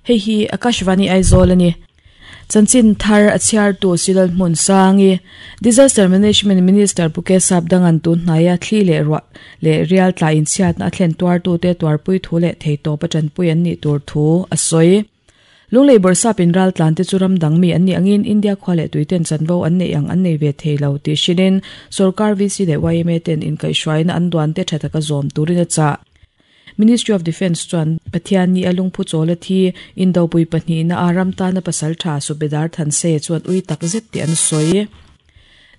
Hei hi Akashvani Aizawl a ni. Chanchin thar a chhiartu Silal Hmunsangi, Disaster Management Minister Pu Kesap Dangan tun hnaia thli leh ruah leh rial tla inchhiatna a thlen tuartute tuarpui thu leh theihtawp a tanpui an nih tur thu a sawi. Lunglei bawrhsap in raltlan te chu ram dang mi an nih angin India khua leh tuiten chanvo an neih ang an nei ve thei lo tih hrilhin sorkar VC leh yma ten inkaihhruaina an duan te tha taka zawm turin a chah. Ministry of Defence chuan Pathian ni a lungphu chawl a thi Indopui pahnihna a ram tana pasal tha Subedar Thanse chuan ui tak zet tih an sawi.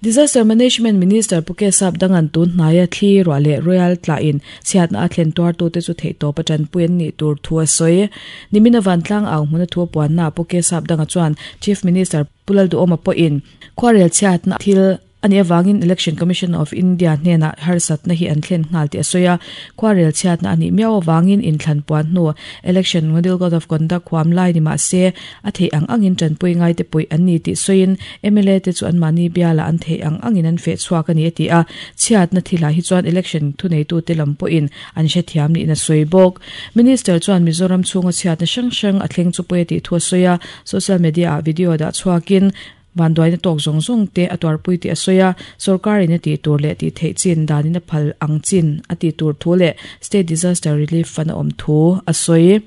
Disaster Management Minister Pu Kesap Dangan tun hnaia thli ruah leh Royal tlahin chhiatna a thlen tuartute chu theihtawp a tanpui an nih tur thu a sawi. Nimina vantlang au hmuna thu a puannaah Pu Kesap Danga chuan Chief Minister Pu Lalduhawma pawhin khuarel chhiatna thil a nih avangin Election Commission of India hnenah harsatna hi an thlen nghal tih a sawi a. Khuarel chhiatna a nih miau avangin inthlan puan hnu Election Model Code of Conduct huam lai ni mah se a theih ang angin tanpui ngaite puih an ni tih sawiin mla te chu anmahni bialah an theih ang angin an feh chhuak a ni a ti a. Chhiatna thilah hi chuan election thuneitute lam pawhin an hrethiam niin a sawi bawk. Minister chuan Mizoram chhunga chhiatna hrang hrang a thleng chu pawi a tih thu a sawi a, social media ah video dah chhuakin Vanduaina tawk zawng zawng te a tuarpui tih a sawi a, sorkarin a tih tur leh tih theih chin danin a phal ang chin a tih tur thu leh State Disaster Relief Fund a awm thu a sawi.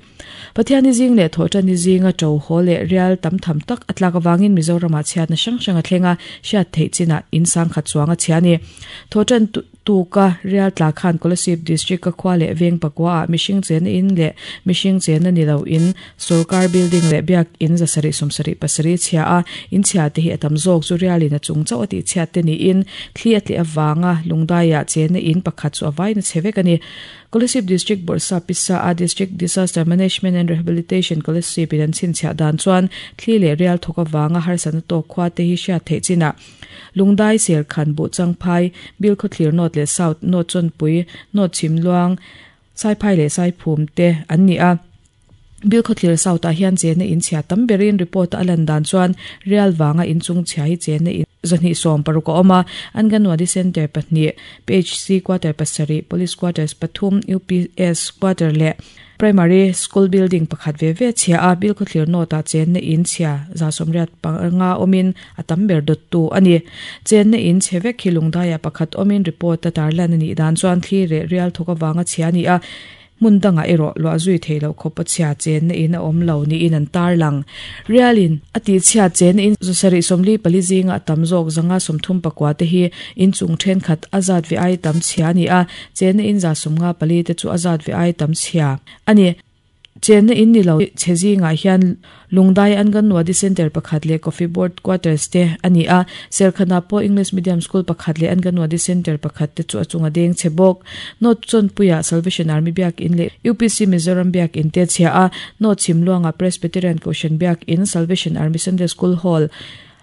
Pathianni zing leh Thawhṭanni zinga ṭo haw leh rial tam tham tak a tlak avangin Mizoramah chhiatna hrang hrang a thleng a, hriat theih chinah in sangkhat chuang a chhia a ni. Thawhṭan Tuka rial tla khan Kolasib District-a khua leh veng pakua ah mihring chenna in leh mihring chenna ni lo in sorkar building leh biak in zasarih sawmsarih pasarih chhia a, in chhia te hi a tam zawk chu rialin a chung chauh a tih chhiat te niin thli a tleh avanga lungdaiah chenna in pakhat chu a vaina chhe vek a ni. Kolasib District Bawrhsa Pisa a District Disaster Management and Rehabilitation Kolasib in an chhinchhiah dan chuan thli leh rial thawk avanga harsatna tawk khua te hi hriat theih chinah Lungdai, Serkhan, Buhchangphai, Bilkhawthlir North leh South, North Chawnpui, North Chhimluang, Saiphai leh Saiphum te an ni a. Bilkhawthlir South ah hian chenna in chhia tam berin report a lan dan chuan Rial vanga inchung chhia hi chenna in 260 a awm a, Anganwadi Centre pahnih, PHC Quarter pasarih, Police Quarters pathum, UPS Quarter leh Primary School building pakhat ve ve chhia a, Bilkhawthlir North ah chenna in chhia 85 awmin a tam ber dawttu a ni. Chenna in chhe vek hi lungdaiah pakhat awmin report a tarlan a nih dan chuan thli reh rial thawk avanga chhia a ni a, hmun dangah erawh luah zui theih loh khawpa chhia chenna in a awm lo niin an tarlang. Rialin a tihchhiat chenna in 74 zinga a tam zawk 134 te hi inchung thenkhat a zat ve ai tam chhia a ni a, Chenna in 54 te chu a zat ve ai tam chhia a ni. Chenna in ni lo chhe zingah hian Lungdai Anganwadi Centre pakhat leh Coffee Board Quarters te a ni a. Serkhanah pawh English Medium School pakhat leh Anganwadi Centre pakhat te chu a chunga deng chhe bawk. North Chawnpuiah Salvation Army Biak In leh UPC Mizoram Biak In te a chhia a. North Chhimluangah Presbyterian Kohhran Biak In, Salvation Army Sunday School Hall,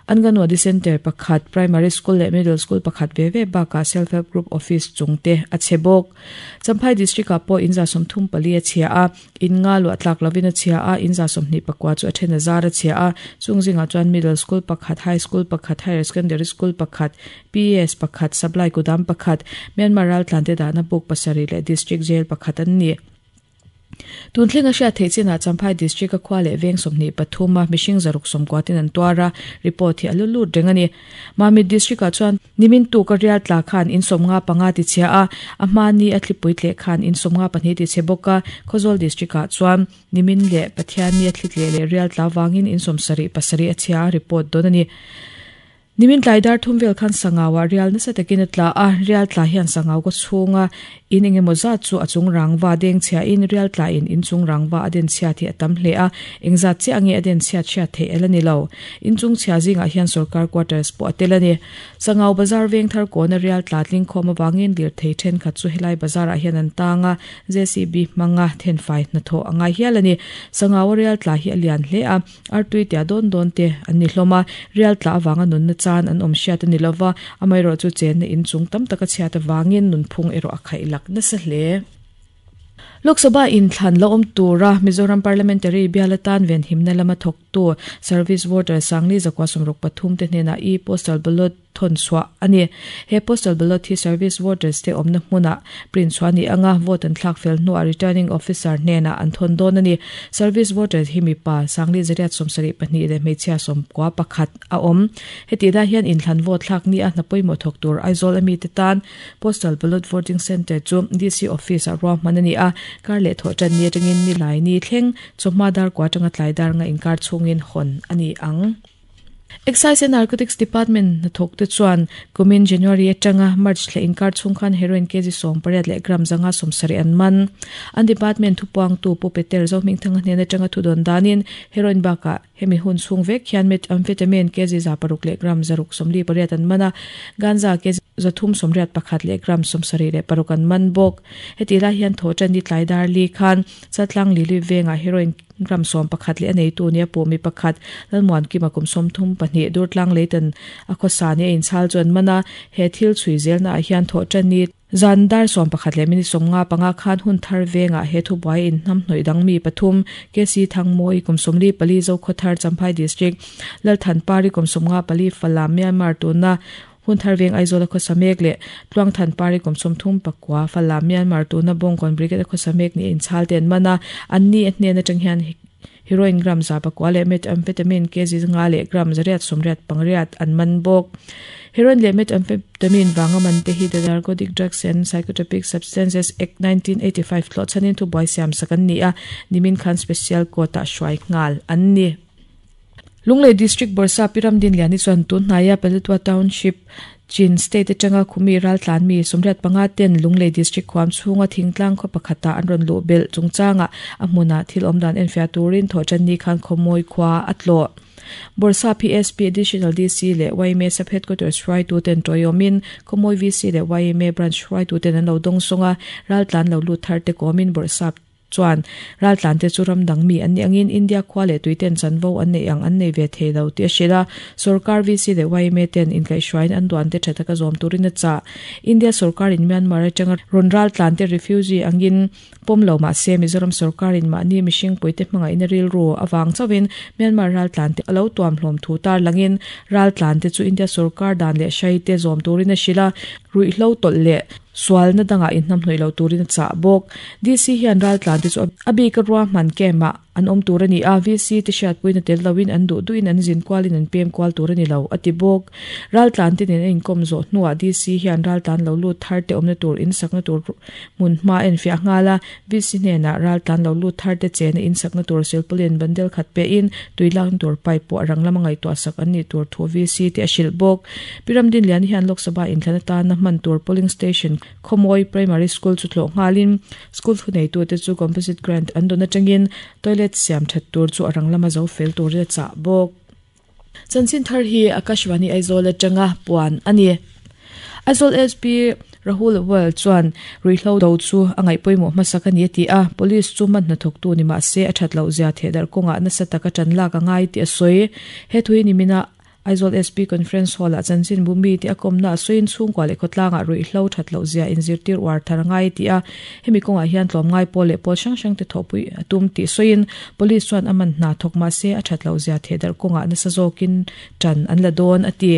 Anganwadi Centre pakhat, Primary School leh Middle School pakhat ve ve bakah Self Help Group Office chung te a chhe bawk. Champhai District ah pawh in 34 a chhia a, in nga luah tlak lovin a chhia a, in 24 chu a then a zar a chhia a, chung zingah chuan Middle School pakhat, High School pakhat, Higher Secondary School pakhat, PES pakhat, Supply Kudam pakhat, Myanmar raltlante dahna book pasarih leh District Jail pakhat an ni. Tun thlenga hriat theih chinah Champhai District a khua leh veng 23 a mihring 690 in an tuar a, report hi a lu lut reng a ni. Mamit District ah chuan nimin tuk a rial tla khan in 55 ti chhia a, a hmani a thlipui tleh khan in 52 ti chhe bawk a, Khawzawl District ah chuan nimin leh Pathianni a thli tleh leh rial tla vangin in 77 a chhia a, report dawn a ni. Nimin tlai dar thum vel khan Sangau-ah rial nasa takin a tla a, rial tla hian Sangau kaw chhunga in eng emaw zat chu a chung rangva deng chhiahin rial tlain in chung rangva a den chhiat hi a tam hle a, eng zat chiah nge a den chhiat hriat theih el a ni lo. In chung chhia zingah hian sorkar quarters pawh a tel a ni. Sangau bazar veng thar kawna rial tla tling khawm avangin lirthei thenkhat chu helai bazar-ah hian an tang a, JCB hmanga thenfai hnathawh a ngai hial a ni. Sangau-a rial tla hi a lian hle a. Artui tia dawn dawn te an ni hlawm a, rial tla avanga nunna chan an awm hriat a ni lova, amaherawh chu chenna in chung tam taka chhiat avangin nunphung erawh a khaih lak nasa hle. Lok Sabha inthlan la awm tura Mizoram Parliamentary bial atan venhimna lama thawktu Service Voter Sangli Zakua 63 te hnenah e-postal ballot. thawn chhuah a ni. He postal ballot hi service voters te awmna hmunah print chhuah a ni ang a, vote an thlak fel hnuah returning officer hnenah an thawn dawn a ni. Service voters hi mipa Sangli zariat 72 leh hmeichhia 91 a awm. Hetih lai hian inthlan vote thlak nia hna pawimawh thawk tur Aizawl ami te tan Postal Ballot Voting Centre chu DC Office ah ruahman a ni a, kar leh thawh tan ni atangin nilai ni thleng chawhma dar kua atanga tlai dar nga inkar chhungin hawn a ni ang. Excise and Narcotics Department hnathawk te chuan kumin January atanga March thla inkar chhung khan heroin kg 18 leh gram 570 an man. An department thupuangtu Pu Peter Zohmingthanga hnen atanga thudawn danin heroin bakah Hemi hun chhung vek hian methamphetamine kg 600 leh gram 648 an man a, ganja kg 381 leh gram 76 an man bawk. Hetih lai hian thawhṭan ni tlai dar li khan Chaltlang Lili vengah heroin gram 11 leh a neitu nia puh mi pakhat Lalmuankima kum 32 Durtlang Leitan a khawsa nia inchhal chu an man a, he thil chhui zelnaah hian thawhṭan ni Zan dar 11 leh minute 55 khan hun thar vengah he thubuai inhnam hnawih dang mi pathum, KC Thangmawi kum 44 Zokhawthar Champhai District, Lalthanpari kum 54 Falam Myanmar tuna hun thar veng Aizawl a khawsa mek leh Tluangthanpari kum 39 Falam Myanmar tuna Bawngkawn Brigade a khawsa mek ni a inchhal te an man a, an ni a hnen atang hian Heroin gram 900 leh methamphetamine kg 5 leh gram 888 an man bawk. Heroin leh methamphetamine vanga man te hi The Narcotic Drugs and Psychotropic Substances Act 1985 thlawh chhanin thubuai siam sak an ni a, nimin khan Special Court-ah hruai nghal an ni. Lunglei District Bawrhsa Pi Ramdinliani chuan tun hnaia Paletwa Township Chin State atanga khumi raltlan mi 85 ten Lunglei District khuam chhunga thingtlang khaw pakhatah an rawn luh belh chungchangah a hmunah thil awmdan enfiah turin thawhtanni khan khawmawi khua a tlawh. Bawrhsa PSP Additional DC leh yma Sub Headquarters hruaitu ten tawiawmin Khawmawi VC leh yma Branch hruaitu ten an lo dawngsawng a, raltlan lo lut thar te kawmin Bawrhsa chuan raltlante chu ram dang mi an nih angin India khua leh tuiten chanvo an neih ang an nei ve thei lo tih a hrilh a. Sorkar VC leh yma ten inkaihhruaiin an duante tha taka zawm turin a chah. India sorkarin Myanmar atanga rawn raltlante refugee angin pawm lo mah se Mizoram sorkarin mahni mihring puite hmangaihna rilru avang chauhin Myanmar raltlante a lo tuam hlawm thu tarlangin raltlante chu India sorkar dan leh hraite zawm turin a hrilh a, ruihhlo tawlh leh Sualna dangah inhnamhnawih lo turin a chah bawk. DC hian raltlante chu a bika ruahman camp-ah an awm tur a ni a, VC te hriatpuina tel loin an duh duhin an zin kualin an pem kual tur a ni lo, a ti bawk. Raltlante nen a inkawm zawh hnuah DC hian raltlan lo lut thar te awmna tur insakna tur hmun hma a enfiah nghal a, VC hnenah raltlan lo lut thar te chena insakna tur silpauline bundle khat pehin tui lakna tur pipe pawh a rang lama ngaihtuah sak an nih tur thu VC te a hrilh bawk. Pi Ramdinliani hian Lok Sabha inthlan atana hman tur polling station Khawmawi Primary School chu tlawh nghalin school thuneitute chu composite grant an dawn atangin toilet siam that tur chu a rang lama zo fel turin a chah bawk. Chanchin thar hi Akashvani Aizawl atanga puan a ni. Aizawl SP Rahul Well chuan ruihhlo do chu a ngaih pawimawh hmasak a ni a ti a, Police chu hman hnathawktu ni mah se a that loh zia thehdarh kawngah nasa taka tan lak a ngai tih a sawi. He thu hi nimina Aizawl SP Conference Hall-ah chanchinbu mite a kawmna a sawiin chhungkua leh khawtlangah ruihhlo that loh zia inzirtir uar thar a ngai tih a, hemi kawngah hian tlawmngai pawl leh pawl hrang hrangte thawhpui a tum tih sawiin Police chuan a man hna thawk mah se a that loh zia thehdarh kawngah nasa zawkin tan an la dawn a ti.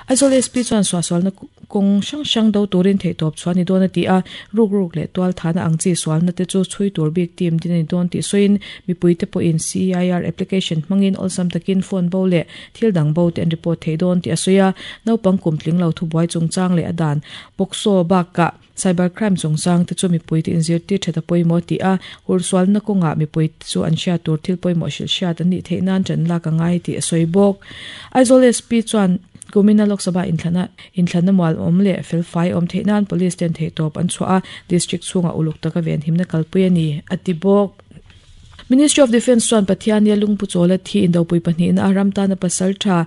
Aizawl SP chuan suahsualna kawng hrang hrang do turin theihtawp chhuah a ni dawn a ti a, ruk ruk leh tual thahna ang chi sualna te chu chhui tur bik team din a ni dawn tih sawiin mipuite pawhin CEIR application hmangin awlsam takin phone bo leh thil dang bo te an report thei dawn tih a sawi a, naupang kum tling lo thubuai chungchang leh a dan POCSO bakah cyber crime chungchang te chu mipuite inzirtir that a pawimawh tih a, hursualna kawngah mipuite chu an hriat tur thil pawimawh hrilh hriat an nih theih nan ṭan lak a ngai tih a sawi bawk. Aizawl SP chuan kumina Lok Sabha inthlana inthlanna mual awm leh felfai awm theih nan Police ten theihtawp an chhuah a, District chhungah uluk taka venhimna kalpui a ni, a ti bawk. Ministry of Defence chuan Pathiania lungpu chawla thi indopui pahnihna a ram tana pasal tha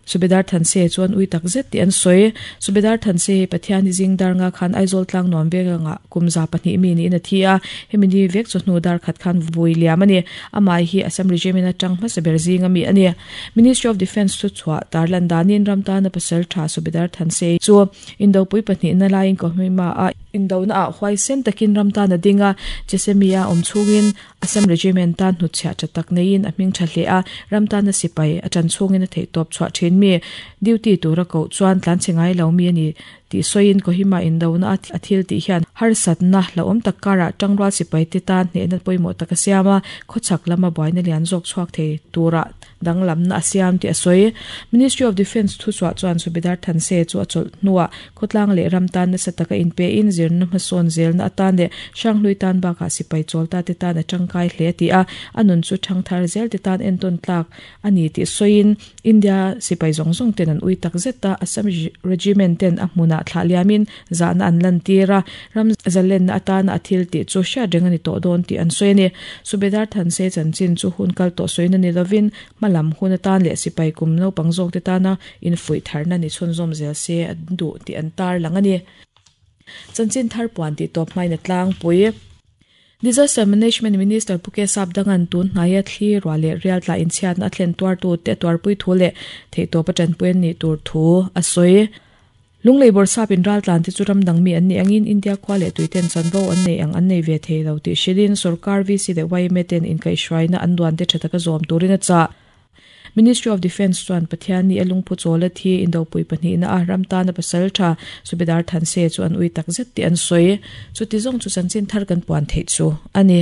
Subedar Thanse chuan ui tak zet tih an sawi. Subedar Thanse hi Pathiani zing dar nga khan Aizawl tlang nuam vek anga kum 200 mi niin a thi a, hemi ni vek chu hnu dar khat khan vui liam a ni. Amah hi Assam Regiment atang hmasa ber zing ami a ni. Ministry of Defence thu chhuah tarlan danin ram tana pasal tha Subedar Thanse chu Indopui pahnihna laiin Kohima-a indona ah huaisen takin ram tan a ding a, Chesemia awm chhungin Assam Regiment tan hnutchhiah tha tak neiin a hming tha hle a, ram tana sipai a tan chhungin a theihtawp chhuah thin mi duty tura koh chuan tlanchhe ngai lo mi a ni tih sawiin Kohima indona a thil tih hian harsatna hlauhawm tak karah tangrual sipai te tan hnehna pawimawh tak a siam a, khawchhak lama buaina lian zawk chhuak thei tura danglamna a siam tih a sawi. Ministry of Defence thuchhuah chuan Subedar Thanse chu a chawlh hnuah Khawtlang leh ram tan nasa taka inpein zirna hmasawn zelna atan leh Hranghlui tan bakah sipai chawlta te tan a tangkai hle a ti a, a nun chu thangthar zel te tan entawn tlak a ni tih sawiin India sipai zawng zawng ten an ui tak zet a, Assam Regiment ten a hmunah thlah liamin zahna an lantir a, ram zalenna atana a thil tih chu hriat reng a ni tawh dawn tih an sawi a ni. Subedar Thanse chanchin chu hun kal tawh sawina ni lovin Hma lam hun atan leh sipai kum naupang zawkte tana infuih tharna ni chhunzawm zel se an duh tih an tarlang a ni. Chanchin thar puan tih tawp hmain a tlangpui. Disaster Management Minister Pu K Sapdanga'n tun hnaia thli ruah leh rial tla inchhiatna a thlen tuartute a tuarpui thu leh theihtawp a tanpui an nih tur thu a sawi. Lunglei bawrhsap in raltlan te chu ram dang mi an nih angin India khua leh tuiten chanvo an nei ang an nei ve thei lo tih hrilhin sorkar VC leh yma ten inkaihhruaina an duan te tha taka zawm turin a chah. Ministry of Defence chuan Pathianni a lungphu chawl a thi indopui pahnihna a ram tana pasal tha Subedar Thanse chu an ui tak zet tih an sawi. Chuti zawng chu chanchin thar kan puan theih chu a ni.